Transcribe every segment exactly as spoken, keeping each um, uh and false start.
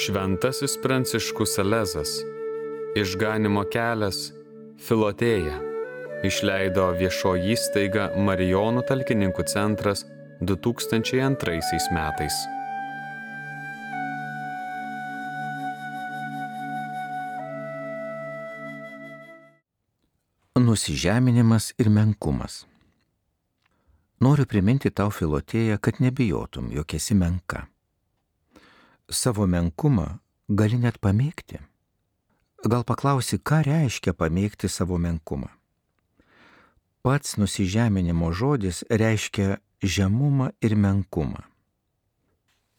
Šventasis Pranciškus Salezas, Išganymo kelias, Filotėja, išleido viešoji įstaiga Marijonų talkininkų centras du tūkstančiai antraisiais metais. Nusižeminimas ir menkumas. Noriu priminti tau, Filotėja, kad nebijotum, jog esi menka. Savo menkumą gali net pamėgti. Gal paklausi, ką reiškia pamėgti savo menkumą? Pats nusižeminimo žodis reiškia žemumą ir menkumą.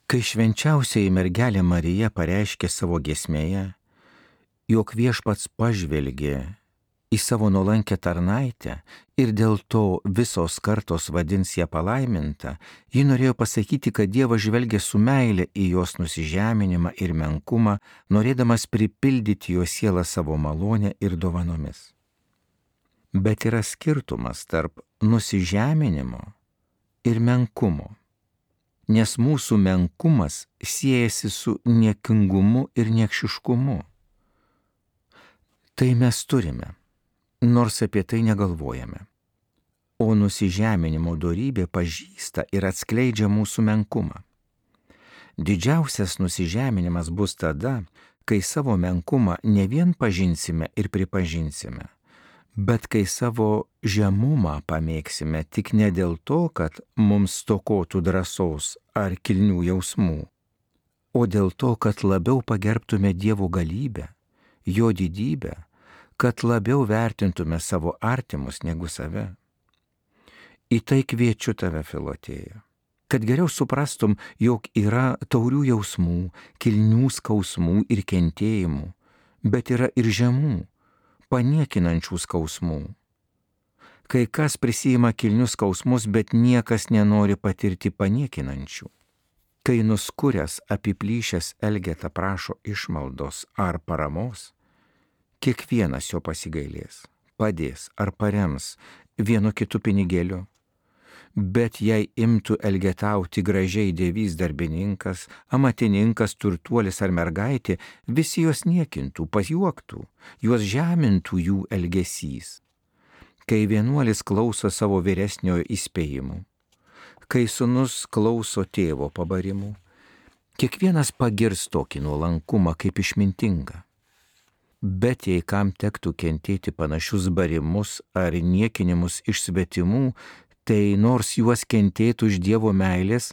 Kai švenčiausioji mergelė Marija pareiškė savo giesmėje, jog Viešpats pažvelgė į savo nuolankę tarnaitę ir dėl to visos kartos vadins ją palaiminta, ji norėjo pasakyti, kad Dievas žvelgia su meile į jos nusižeminimą ir menkumą, norėdamas pripildyti jo sielą savo malonę ir dovanomis. Bet yra skirtumas tarp nusižeminimo ir menkumo, nes mūsų menkumas siejasi su niekingumu ir niekšiškumu. Tai mes turime, nors apie tai negalvojame. O nusižeminimo dorybė pažįsta ir atskleidžia mūsų menkumą. Didžiausias nusižeminimas bus tada, kai savo menkumą ne vien pažinsime ir pripažinsime, bet kai savo žemumą pamėgsime tik ne dėl to, kad mums stokotų drąsos ar kilnių jausmų, o dėl to, kad labiau pagerbtume Dievo galybę, jo didybę, kad labiau vertintume savo artimus negu save. Į tai kviečiu tave, Filotėja, kad geriau suprastum, jog yra taurių jausmų, kilnių skausmų ir kentėjimų, bet yra ir žemų, paniekinančių skausmų. Kai kas prisiima kilnius skausmus, bet niekas nenori patirti paniekinančių. Kai nuskuręs, apiplyšęs elgeta prašo išmaldos ar paramos, kiekvienas jo pasigailės, padės ar parems vienu kitu pinigėliu. Bet jei imtų elgetauti gražiai dievys darbininkas, amatininkas, turtuolis ar mergaitė, visi juos niekintų, pajuoktų, juos žemintų jų elgesys. Kai vienuolis klauso savo vyresniojo įspėjimų, kai sūnus klauso tėvo pabarimų, kiekvienas pagirs tokį nuolankumą kaip išmintingą. Bet jei kam tektų kentėti panašius barimus ar niekinimus iš svetimų, tai nors juos kentėtų iš Dievo meilės,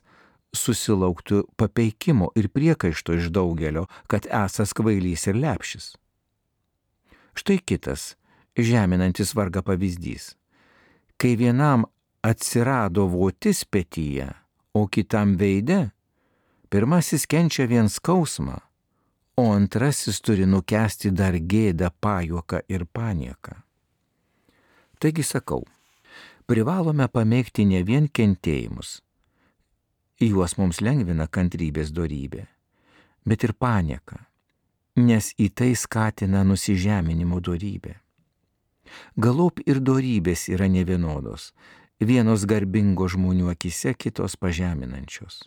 susilauktų papeikimo ir priekaišto iš daugelio, kad esąs kvailys ir lepšis. Štai kitas, žeminantis vargą pavyzdys. Kai vienam atsirado votis petyje, o kitam veide, pirmasis kenčia vien skausmą, o antrasis turi nukęsti dar gėdą, pajuoką ir panieką. Taigi sakau, privalome pamėgti ne vien kentėjimus, juos mums lengvina kantrybės dorybė, bet ir panieką, nes į tai skatina nusižeminimo dorybė. Galop ir dorybės yra nevienodos, vienos garbingo žmonių akise, kitos pažeminančios.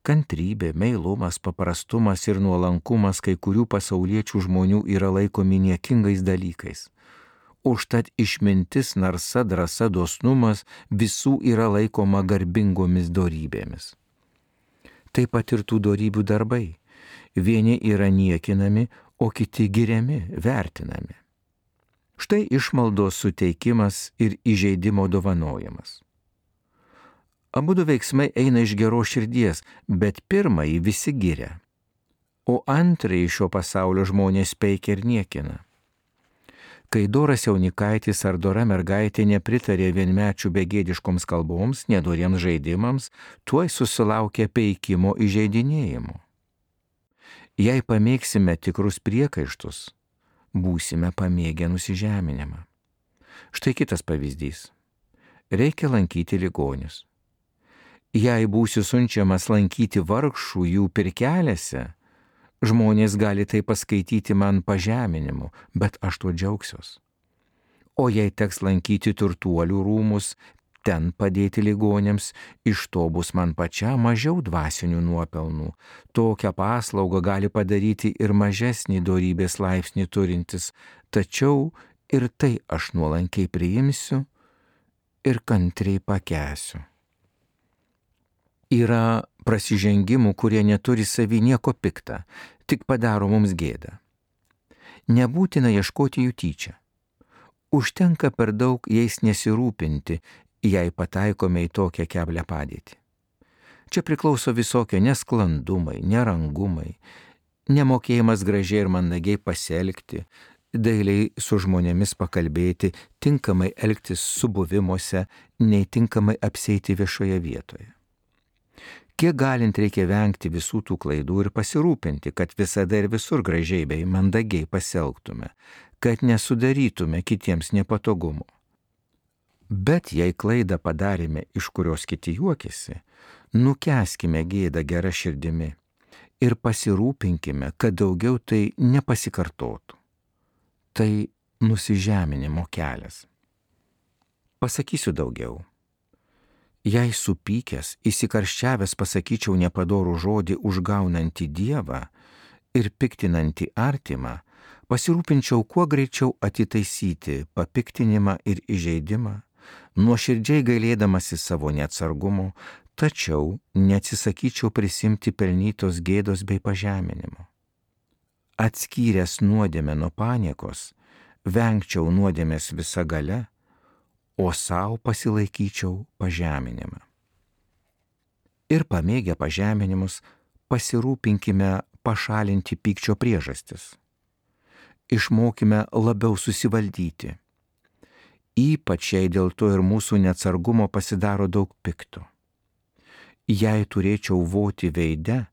Kantrybė, meilumas, paprastumas ir nuolankumas kai kurių pasauliečių žmonių yra laikomi niekingais dalykais. Užtat išmintis, narsa, drąsa, dosnumas visų yra laikoma garbingomis dorybėmis. Taip pat ir tų dorybių darbai. Vieni yra niekinami, o kiti giriami, vertinami. Štai išmaldos suteikimas ir įžeidimo dovanojimas. Abudu veiksmai eina iš geros širdies, bet pirmąjį visi giria, o antrąjį šio pasaulio žmonės peikia ir niekina. Kai doras jaunikaitis ar dora mergaitė nepritarė vienmečių begėdiškoms kalboms, nedoriems žaidimams, tuoj susilaukia peikimo įžeidinėjimo. Jei pamėgsime tikrus priekaištus, būsime pamėgę nusižeminimą. Štai kitas pavyzdys. Reikia lankyti ligonius. Jei būsiu siunčiamas lankyti vargšų jų pirkelėse, žmonės gali tai paskaityti man pažeminimu, bet aš tuo džiaugsiuos. O jei teks lankyti turtuolių rūmus, ten padėti ligonėms, iš to bus man pačiam mažiau dvasinių nuopelnų. Tokią paslaugą gali padaryti ir mažesnį dorybės laipsnį turintis, tačiau ir tai aš nuolankiai priimsiu ir kantriai pakęsiu. Yra prasižengimų, kurie neturi savy nieko pikta, tik padaro mums gėdą. Nebūtina ieškoti jų tyčia. Užtenka per daug jais nesirūpinti, jei pataikome į tokią keblią padėtį. Čia priklauso visokie nesklandumai, nerangumai, nemokėjimas gražiai ir mandagiai pasielgti, dailiai su žmonėmis pakalbėti, tinkamai elgtis subuvimuose, nei tinkamai apsieiti viešoje vietoje. Kiek galint reikia vengti visų tų klaidų ir pasirūpinti, kad visada ir visur gražiai bei mandagiai pasielgtume, kad nesudarytume kitiems nepatogumo. Bet jei klaidą padarėme, iš kurios kiti juokiasi, nukęskime gėdą gerą širdimi ir pasirūpinkime, kad daugiau tai nepasikartotų. Tai nusižeminimo kelias. Pasakysiu daugiau. Jei supykęs, įsikarščiavęs pasakyčiau nepadorų žodį užgaunantį Dievą ir piktinantį artimą, pasirūpinčiau kuo greičiau atitaisyti papiktinimą ir įžeidimą, nuoširdžiai gailėdamasi savo neatsargumo, tačiau neatsisakyčiau prisimti pelnytos gėdos bei pažeminimo. Atskyręs nuodėmę nuo paniekos, vengčiau nuodėmės visa galia, o savo pasilaikyčiau pažeminimą. Ir pamėgę pažeminimus, pasirūpinkime pašalinti pykčio priežastis. Išmokime labiau susivaldyti. Ypač jei dėl to ir mūsų neatsargumo pasidaro daug pikto. Jei turėčiau voti veide,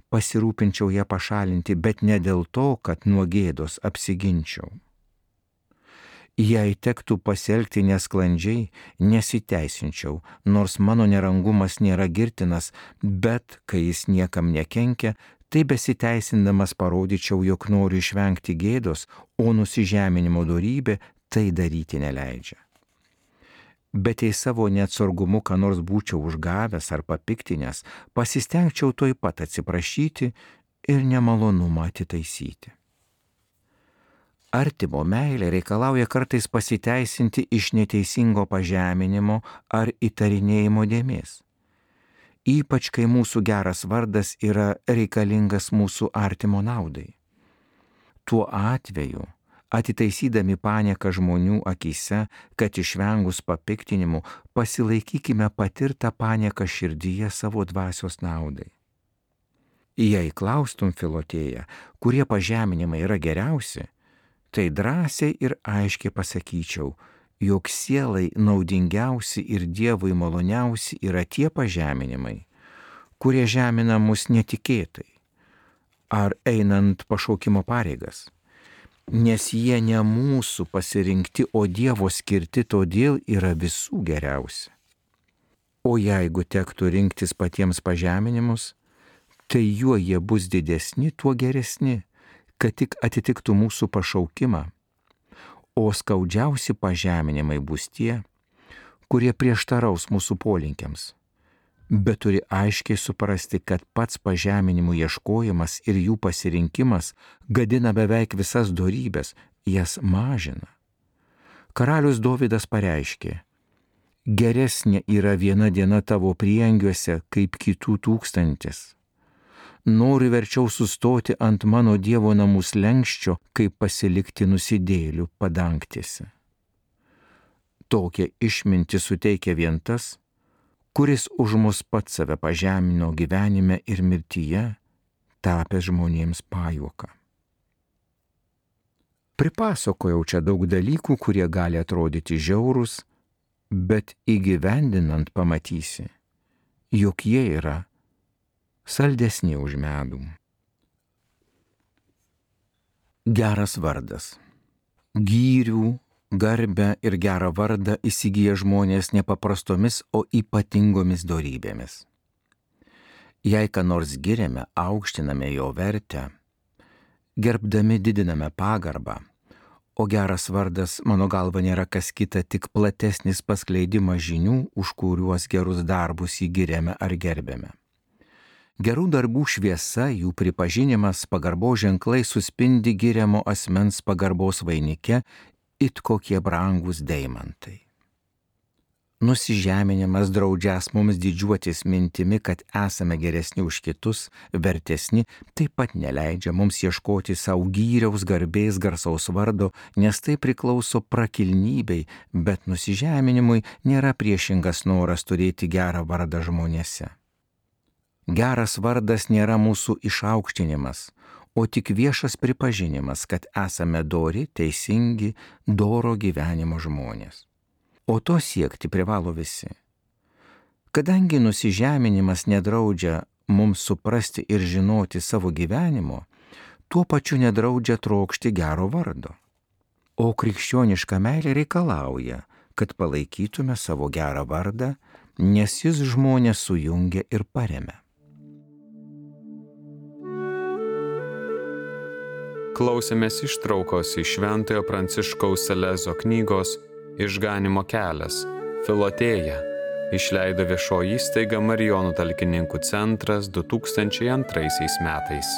pasirūpinčiau ją pašalinti, bet ne dėl to, kad nuo gėdos apsiginčiau. Jei tektų pasielgti nesklandžiai, nesiteisinčiau, nors mano nerangumas nėra girtinas, bet kai jis niekam nekenkia, tai besiteisindamas parodyčiau, jog noriu išvengti gėdos, o nusižeminimo dorybė tai daryti neleidžia. Bet jei savo neatsargumu ką nors būčiau užgavęs ar papiktinęs, pasistengčiau tuoj pat atsiprašyti ir nemalonumą atitaisyti. Artimo meilė reikalauja kartais pasiteisinti iš neteisingo pažeminimo ar įtarinėjimo dėmės. Ypač kai mūsų geras vardas yra reikalingas mūsų artimo naudai. Tuo atveju, atitaisydami panieką žmonių akyse, kad išvengus papiktinimų, pasilaikykime patirtą panieką širdyje savo dvasios naudai. Jei klaustum Filotėją, kurie pažeminimai yra geriausi, tai drąsiai ir aiškiai pasakyčiau, jog sielai naudingiausi ir Dievui maloniausi yra tie pažeminimai, kurie žemina mus netikėtai ar einant pašaukimo pareigas, nes jie ne mūsų pasirinkti, o Dievo skirti, todėl yra visų geriausi. O jeigu tektų rinktis patiems pažeminimus, tai juo jie bus didesni, tuo geresni, kad tik atitiktų mūsų pašaukimą, o skaudžiausi pažeminimai bus tie, kurie prieštaraus mūsų polinkiams, bet turi aiškiai suprasti, kad pats pažeminimų ieškojimas ir jų pasirinkimas gadina beveik visas dorybes, jas mažina. Karalius Dovydas pareiškė: geresnė yra viena diena tavo prieangiuose kaip kitų tūkstantis. Noriu verčiau sustoti ant mano Dievo namų slenksčio, kaip pasilikti nusidėjėlių padangtėse. Tokią išmintį suteikia vien tas, kuris už mus pats save pažemino gyvenime ir mirtyje, tapęs žmonėms pajuoką. Pripasakojau čia daug dalykų, kurie gali atrodyti žiaurūs, bet įgyvendinant pamatysi, jog jie yra saldesni už medų. Geras vardas. Gyrių, garbę ir gerą vardą įsigyja žmonės nepaprastomis, o ypatingomis dorybėmis. Jei ką nors giriame, aukštiname jo vertę, gerbdami didiname pagarbą, O geras vardas, mano galva, nėra kas kita, tik platesnis paskleidimas žinių, už kuriuos gerus darbus įgiriame ar gerbėme. Gerų darbų šviesa, jų pripažinimas, pagarbos ženklai suspindi giriamo asmens pagarbos vainike, it kokie brangus deimantai. Nusižeminimas draudžias mums didžiuotis mintimi, kad esame geresni už kitus, vertesni, taip pat neleidžia mums ieškoti savo gyriaus, garbės, garsaus vardo, nes tai priklauso prakilnybei, bet nusižeminimui nėra priešingas noras turėti gerą vardą žmonėse. Geras vardas nėra mūsų išaukštinimas, o tik viešas pripažinimas, kad esame dori, teisingi, doro gyvenimo žmonės. O to siekti privalo visi. Kadangi nusižeminimas nedraudžia mums suprasti ir žinoti savo gyvenimo, tuo pačiu nedraudžia trokšti gero vardo. O krikščioniška meilė reikalauja, kad palaikytume savo gerą vardą, nes jis žmonės sujungia ir paremia. Klausėmės ištraukos iš Šventojo Pranciškaus Salezo knygos Išganimo kelias, Filotėja, išleido viešoji įstaiga Marijonų talkininkų centras du tūkstančiai antraisiais metais.